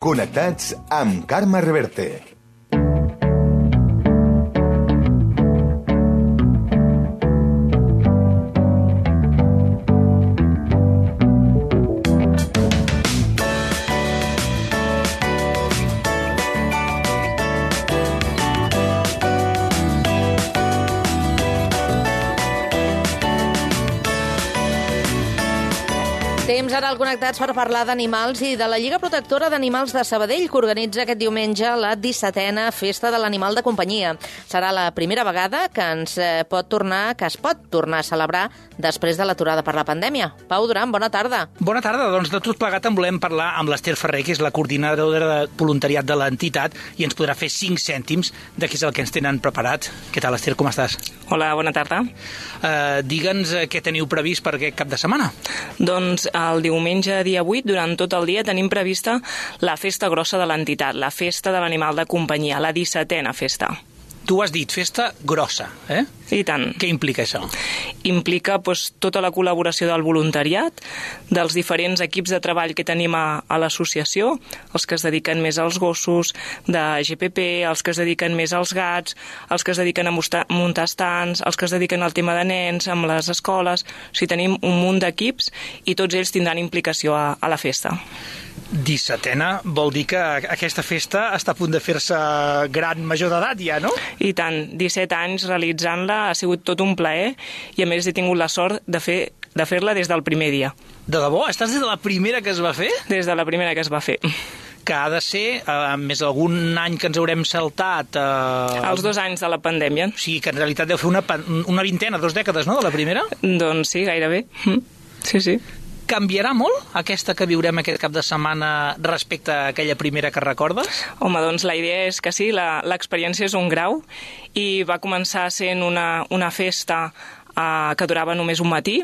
Connectats amb Carme Reverte. Temps ara al Connectats per parlar d'animals i de la Lliga Protectora d'Animals de Sabadell, que organitza aquest diumenge la 17a Festa de l'Animal de Companyia. Serà la primera vegada que es pot tornar a celebrar després de l'aturada per la pandèmia. Pau Duran, bona tarda. Bona tarda. Doncs de tot plegat en volem parlar amb l'Ester Ferrer, que és la coordinadora de voluntariat de l'entitat, i ens podrà fer 5 cèntims de què és el que ens tenen preparat. Què tal, Ester? Com estàs? Hola, bona tarda. Digue'ns què teniu previst per aquest cap de setmana. Doncs el diumenge, dia 8, durant tot el dia tenim prevista la festa grossa de l'entitat, la festa de l'animal de companyia, la 17a festa. Tu has dit festa grossa, eh? I tant. Què implica això? Implica tota la col·laboració del voluntariat, dels diferents equips de treball que tenim a l'associació, els que es dediquen més als gossos, de GPP, els que es dediquen més als gats, els que es dediquen a muntar estants, els que es dediquen al tema de nens, amb les escoles. O sigui, tenim un munt d'equips i tots ells tindran implicació a la festa. 17a vol dir que aquesta festa està a punt de fer-se gran major d'edat ja, no? I tant, 17 anys realitzant-la, ha sigut tot un plaer i a més he tingut la sort de fer-la des del primer dia. De debò? Estàs des de la primera que es va fer? Des de la primera que es va fer. Que ha de ser més algun any que ens haurem saltat... Els 2 anys de la pandèmia. O sigui, que en realitat deu fer una vintena, 2 dècades, no?, de la primera? Doncs sí, gairebé. Sí, sí. Canviarà molt aquesta que viurem aquest cap de setmana respecte a aquella primera que recordes? Home, doncs la idea és que sí, l'experiència és un grau i va començar sent una festa que durava només un matí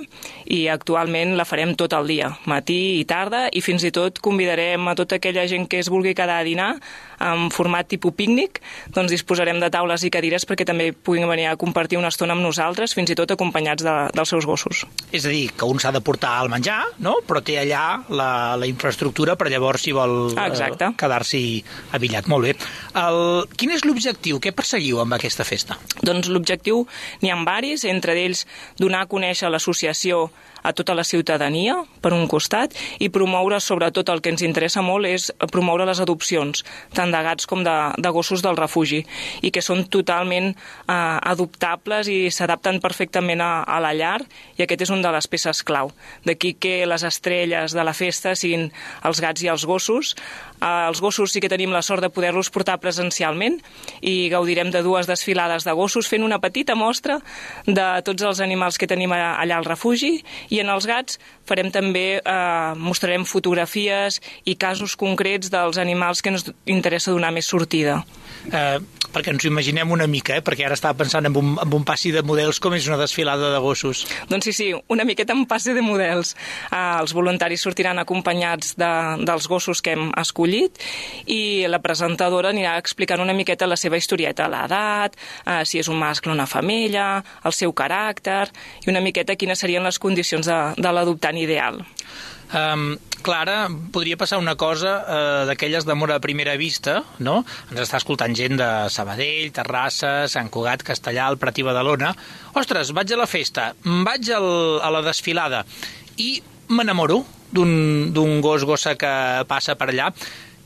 i actualment la farem tot el dia, matí i tarda, i fins i tot convidarem a tota aquella gent que es vulgui quedar a dinar en format tipus pícnic, doncs disposarem de taules i cadires perquè també puguin venir a compartir una estona amb nosaltres, fins i tot acompanyats dels seus gossos. És a dir, que un s'ha de portar el menjar, no?, però té allà la infraestructura per llavors si vol quedar-s'hi abillat. Molt bé. Quin és l'objectiu? Què perseguiu amb aquesta festa? Doncs l'objectiu n'hi ha varis, entre ells donar a conèixer l'associació a tota la ciutadania, per un costat, i promoure, sobretot el que ens interessa molt, és promoure les adopcions, tant de gats com de gossos del refugi, i que són totalment adoptables i s'adapten perfectament a la llar, i aquest és una de les peces clau. D'aquí que les estrelles de la festa siguin els gats i els gossos. Els gossos sí que tenim la sort de poder-los portar presencialment i gaudirem de 2 desfilades de gossos fent una petita mostra de tots els animals que tenim allà al refugi, i en els gats farem també, mostrarem fotografies i casos concrets dels animals que ens interessa donar més sortida. Perquè ens ho imaginem una mica, perquè ara estava pensant en un passi de models, com és una desfilada de gossos. Doncs sí, una miqueta en passi de models. Els voluntaris sortiran acompanyats dels gossos que hem escollit i la presentadora anirà explicant una miqueta la seva historieta, l'edat, si és un mascle o una femella, el seu caràcter i una miqueta quines serien les condicions de l'adoptant ideal. Clara, podria passar una cosa d'aquelles d'amor a primera vista, no? Ens està escoltant gent de Sabadell, Terrassa, Sant Cugat, Castellar, el Prat i Badalona. Ostres, vaig a la festa, vaig a la desfilada i m'enamoro d'un gossa que passa per allà.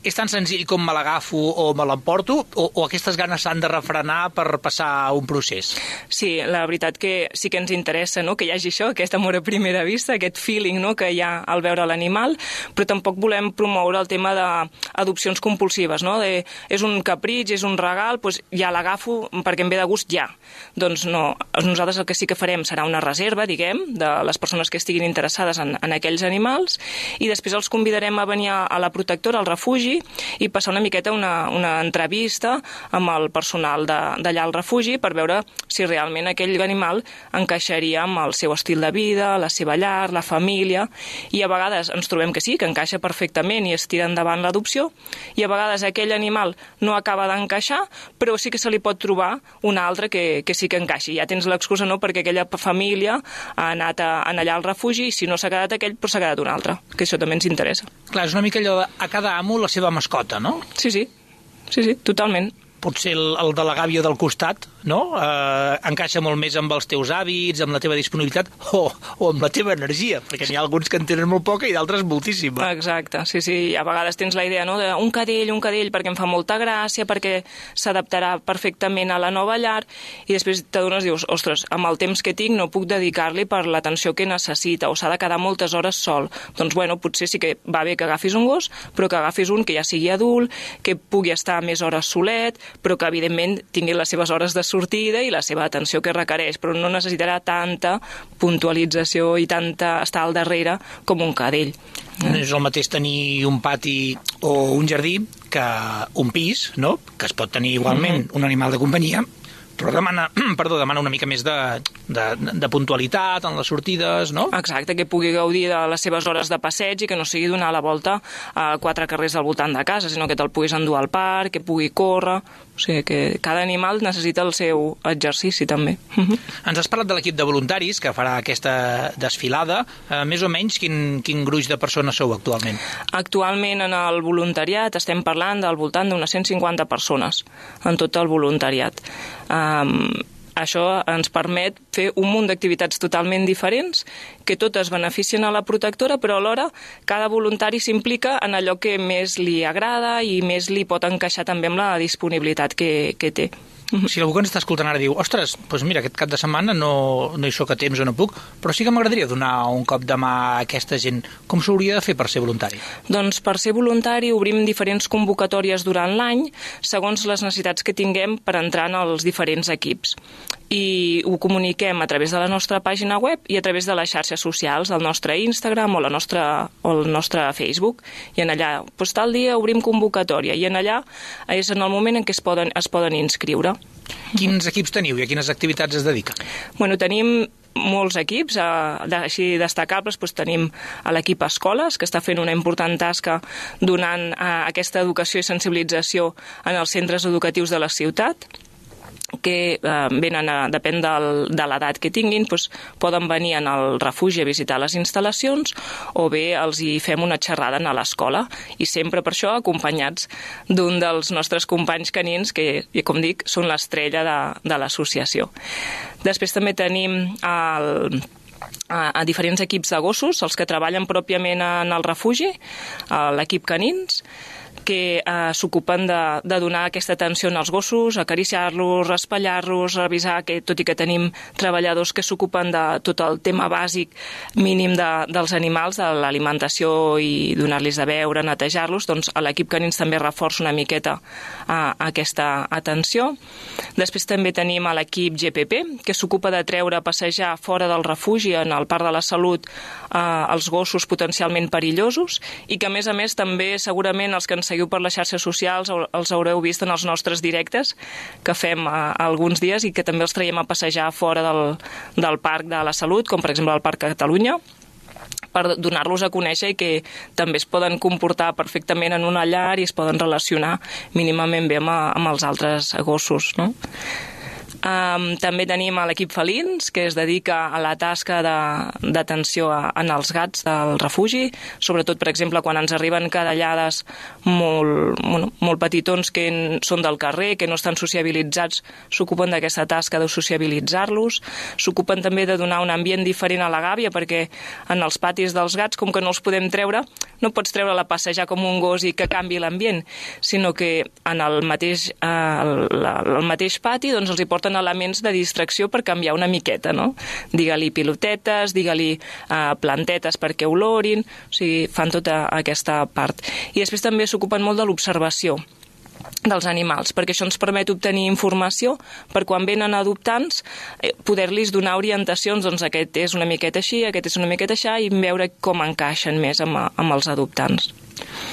És tan senzill com me l'agafo o me l'emporto, o aquestes ganes s'han de refrenar per passar un procés? Sí, la veritat que sí que ens interessa, no?, que hi hagi això, aquest amor a primera vista, aquest feeling, no?, que hi ha al veure l'animal, però tampoc volem promoure el tema d'adopcions compulsives, no?, és un capritx, és un regal, doncs ja l'agafo perquè em ve de gust ja. Doncs no, nosaltres el que sí que farem serà una reserva, diguem, de les persones que estiguin interessades en aquells animals, i després els convidarem a venir a la protectora, al refugi, i passar una miqueta una entrevista amb el personal d'allà al refugi per veure si realment aquell animal encaixaria amb el seu estil de vida, la seva llar, la família, i a vegades ens trobem que sí, que encaixa perfectament i es tira endavant l'adopció, i a vegades aquell animal no acaba d'encaixar, però sí que se li pot trobar un altre que sí que encaixi. Ja tens l'excusa, no?, perquè aquella família ha anat allà al refugi i si no s'ha quedat aquell, però s'ha quedat un altre, que això també ens interessa. Clar, és una mica allò de a cada amo la seva mascota, no? Sí, totalment. Potser el de la gàbia del costat, no? Encaixa molt més amb els teus hàbits, amb la teva disponibilitat o amb la teva energia, perquè n'hi ha alguns que en tenen molt poca i d'altres moltíssima. Exacte, sí. A vegades tens la idea, no?, d'un cadell, perquè em fa molta gràcia, perquè s'adaptarà perfectament a la nova llar, i després t'adones, dius, ostres, amb el temps que tinc no puc dedicar-li per l'atenció que necessita, o s'ha de quedar moltes hores sol. Doncs, bueno, potser sí que va bé que agafis un gos, però que agafis un que ja sigui adult, que pugui estar més hores solet, però que evidentment tingui les seves hores de sortida i la seva atenció que requereix, però no necessitarà tanta puntualització i tanta estar al darrere com un cadell. No és el mateix tenir un pati o un jardí que un pis, no? Que es pot tenir igualment un animal de companyia, però demana una mica més de puntualitat en les sortides, no? Exacte, que pugui gaudir de les seves hores de passeig i que no sigui donar la volta a 4 carrers al voltant de casa, sinó que te'l puguis endur al parc, que pugui córrer. O sigui que cada animal necessita el seu exercici, també. Ens has parlat de l'equip de voluntaris que farà aquesta desfilada. Més o menys, quin gruix de persones sou actualment? Actualment, en el voluntariat, estem parlant del voltant d'unes 150 persones en tot el voluntariat. Això ens permet fer un munt d'activitats totalment diferents, que totes beneficien a la protectora, però alhora cada voluntari s'implica en allò que més li agrada i més li pot encaixar també amb la disponibilitat que té. Si algú que ens està escoltant ara diu, ostres, doncs mira, aquest cap de setmana no hi soc a temps o no puc, però sí que m'agradaria donar un cop de mà a aquesta gent. Com s'hauria de fer per ser voluntari? Doncs per ser voluntari obrim diferents convocatòries durant l'any, segons les necessitats que tinguem per entrar en els diferents equips. I ho comuniquem a través de la nostra pàgina web i a través de les xarxes socials, del nostre Instagram o el nostre Facebook. I en allà, doncs tal dia obrim convocatòria, i en allà és en el moment en què es poden inscriure. Quins equips teniu i a quines activitats es dediquen? Bueno, tenim molts equips, així destacables, doncs tenim l'equip Escoles, que està fent una important tasca donant aquesta educació i sensibilització en els centres educatius de la ciutat, que venen, depèn de l'edat que tinguin, doncs poden venir al refugi a visitar les instal·lacions o bé els hi fem una xerrada a l'escola, i sempre per això acompanyats d'un dels nostres companys canins que, com dic, són l'estrella de l'associació. Després també tenim a diferents equips de gossos, els que treballen pròpiament en el refugi, l'equip canins, que s'ocupen de donar aquesta atenció als gossos, acariciar-los, raspallar-los, revisar que, tot i que tenim treballadors que s'ocupen de tot el tema bàsic mínim dels animals, de l'alimentació i donar-los de beure, netejar-los, doncs l'equip canins també reforça una miqueta aquesta atenció. Després també tenim l'equip GPP, que s'ocupa de treure a passejar fora del refugi, en el Parc de la Salut, els gossos potencialment perillosos, i que a més també segurament els que ens seguiu per les xarxes socials els haureu vist en els nostres directes que fem alguns dies, i que també els traiem a passejar fora del Parc de la Salut, com per exemple el Parc Catalunya, per donar-los a conèixer i que també es poden comportar perfectament en una llar i es poden relacionar mínimament bé amb els altres gossos, no? També tenim l'equip Felins, que es dedica a la tasca d'atenció en els gats del refugi, sobretot, per exemple, quan ens arriben cadellades molt petitons que són del carrer, que no estan sociabilitzats, s'ocupen d'aquesta tasca de sociabilitzar-los. S'ocupen també de donar un ambient diferent a la gàbia, perquè en els patis dels gats, com que no els podem treure, no pots treure-la a passejar com un gos i que canvi l'ambient, sinó que en el mateix pati doncs els hi porten elements de distracció per canviar una miqueta, no? Digue-li pilotetes, digue-li plantetes perquè olorin, o sigui, fan tota aquesta part. I després també s'ocupen molt de l'observació dels animals, perquè això ens permet obtenir informació per quan venen adoptants poder-los donar orientacions, doncs aquest és una miqueta així, aquest és una miqueta així, i veure com encaixen més amb els adoptants.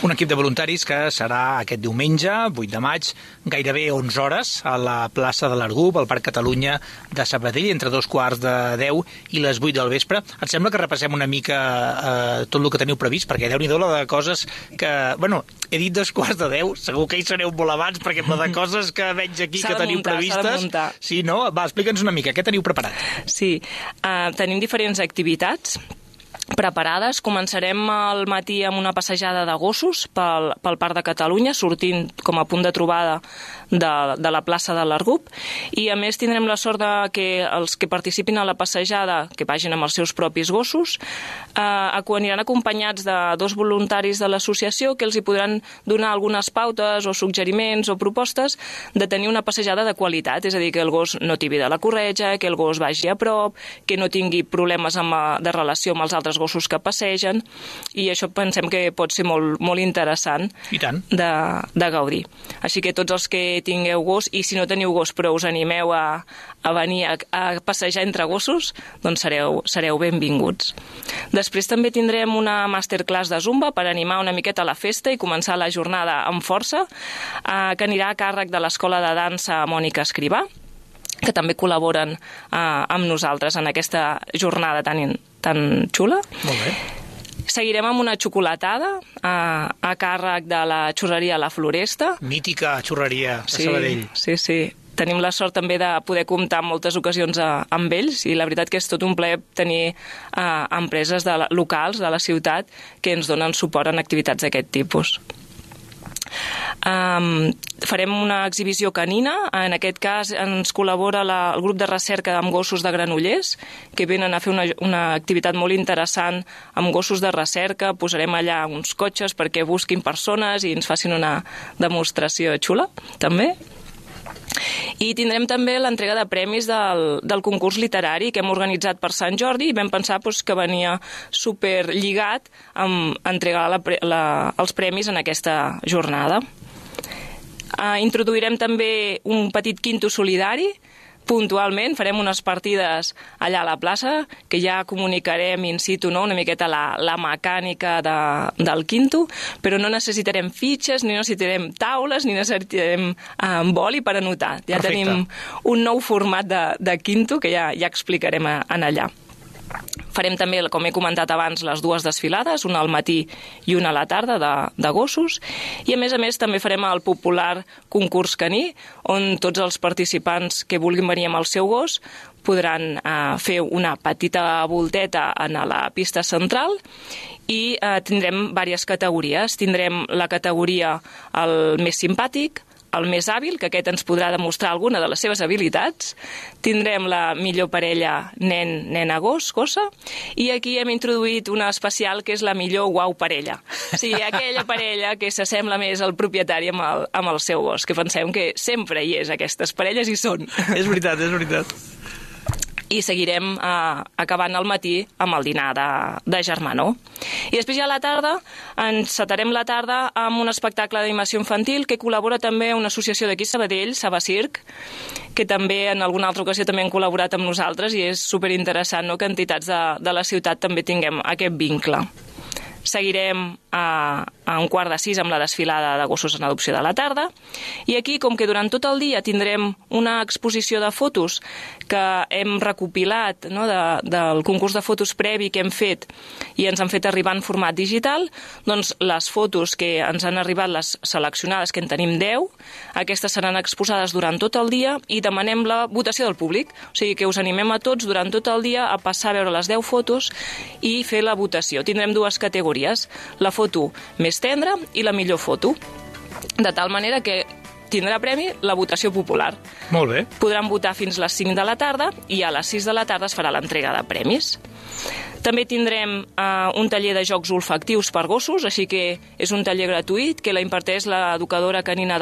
Un equip de voluntaris que serà aquest diumenge, 8 de maig, gairebé 11 hores, a la plaça de l'Argub, al Parc Catalunya de Sabadell, entre 2:15 i les 8 del vespre. Et sembla que repassem una mica tot el que teniu previst? Perquè Déu-n'hi-do la de coses que... Bueno, he dit 2:15, segur que hi sereu molt abans, perquè la de coses que veig aquí que teniu previstes... S'ha de muntar. Sí, no? Va, explica'ns una mica, què teniu preparat? Sí, tenim diferents activitats. preparades. Començarem al matí amb una passejada de gossos pel Parc de Catalunya, sortint com a punt de trobada de la plaça de l'Argup, i a més tindrem la sort que els que participin a la passejada, que vagin amb els seus propis gossos, aniran acompanyats de 2 voluntaris de l'associació que els hi podran donar algunes pautes o suggeriments o propostes de tenir una passejada de qualitat, és a dir, que el gos no tibi de la corretja, que el gos vagi a prop, que no tingui problemes de relació amb els altres gossos que passegen, i això pensem que pot ser molt, molt interessant de gaudir. Així que tots els que tingueu gos, i si no teniu gos però us animeu a venir a passejar entre gossos, doncs sereu benvinguts. Després també tindrem una masterclass de Zumba per animar una miqueta la festa i començar la jornada amb força, que anirà a càrrec de l'Escola de Dansa Mònica Escrivà, que també col·laboren amb nosaltres en aquesta jornada tan xula. Molt bé. Seguirem amb una xocolatada a càrrec de la xurreria La Floresta. Mítica xurreria de Sabadell. Sí. Tenim la sort també de poder comptar en moltes ocasions amb ells, i la veritat que és tot un plaer tenir empreses locals de la ciutat que ens donen suport en activitats d'aquest tipus. Farem una exhibició canina. En aquest cas ens col·labora el grup de recerca amb gossos de Granollers, que venen a fer una activitat molt interessant amb gossos de recerca. Posarem allà uns cotxes perquè busquin persones i ens facin una demostració xula, també. I tindrem també l'entrega de premis del concurs literari que hem organitzat per Sant Jordi, i vam pensar que venia superlligat amb entregar els premis en aquesta jornada. Introduirem també un petit quinto solidari. Puntualment farem unes partides allà a la plaça, que ja comunicarem in situ, una miqueta la mecànica del quinto, però no necessitarem fitxes, ni necessitarem taules, ni necessitarem boli per anotar. Ja Perfecte. Tenim un nou format de quinto que ja explicarem en allà. Farem també, com he comentat abans, les 2 desfilades, una al matí i una a la tarda de gossos, i a més també farem el popular concurs caní, on tots els participants que vulguin venir amb el seu gos podran fer una petita volteta a la pista central, i tindrem diverses categories. Tindrem la categoria el més simpàtic, el més hàbil, que aquest ens podrà demostrar alguna de les seves habilitats. Tindrem la millor parella nen-nena-gos, gossa, i aquí hem introduït una especial que és la millor guau parella. O sigui, aquella parella que s'assembla més al propietari amb el seu gos, que pensem que sempre hi és, aquestes parelles hi són. És veritat, és veritat. I seguirem acabant al matí amb el dinar de germanor. I després ja a la tarda encetarem la tarda amb un espectacle d'animació infantil que col·labora també una associació d'aquí Sabadell, Sabacirc, que també en alguna altra ocasió també han col·laborat amb nosaltres, i és superinteressant que entitats de la ciutat també tinguem aquest vincle. Seguirem a 5:45 amb la desfilada de gossos en adopció de la tarda, i aquí, com que durant tot el dia tindrem una exposició de fotos que hem recopilat del concurs de fotos previ que hem fet i ens han fet arribar en format digital, doncs les fotos que ens han arribat, les seleccionades, que en tenim 10, aquestes seran exposades durant tot el dia, i demanem la votació del públic. O sigui que us animem a tots durant tot el dia a passar a veure les 10 fotos i fer la votació. Tindrem 2 categories, la foto més tendra i la millor foto, de tal manera que tindrà premi la votació popular. Molt bé. Podran votar fins les 5 de la tarda, i a les 6 de la tarda es farà l'entrega de premis. També tindrem un taller de jocs olfactius per gossos, així que és un taller gratuït que la imparteix l'educadora canina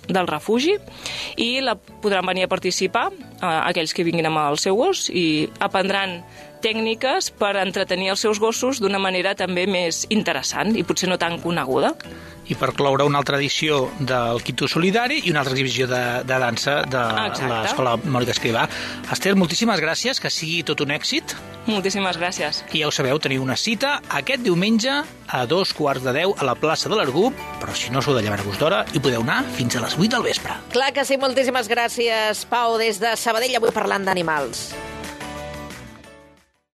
del refugi, i podran venir a participar aquells que vinguin amb el seu gos, i aprendran tècniques per entretenir els seus gossos d'una manera també més interessant i potser no tan coneguda. I per cloure una altra edició del Quinto Solidari i una altra exhibició de dansa de l'Escola Mònica Escrivà. Esther, moltíssimes gràcies, que sigui tot un èxit. Moltíssimes gràcies. I ja ho sabeu, teniu una cita aquest diumenge a 9:45 a la plaça de l'Argup, però si no sou de llevar-vos d'hora, hi podeu anar fins a les 8 del vespre. Clar que sí, moltíssimes gràcies, Pau, des de Sabadell, avui parlant d'animals.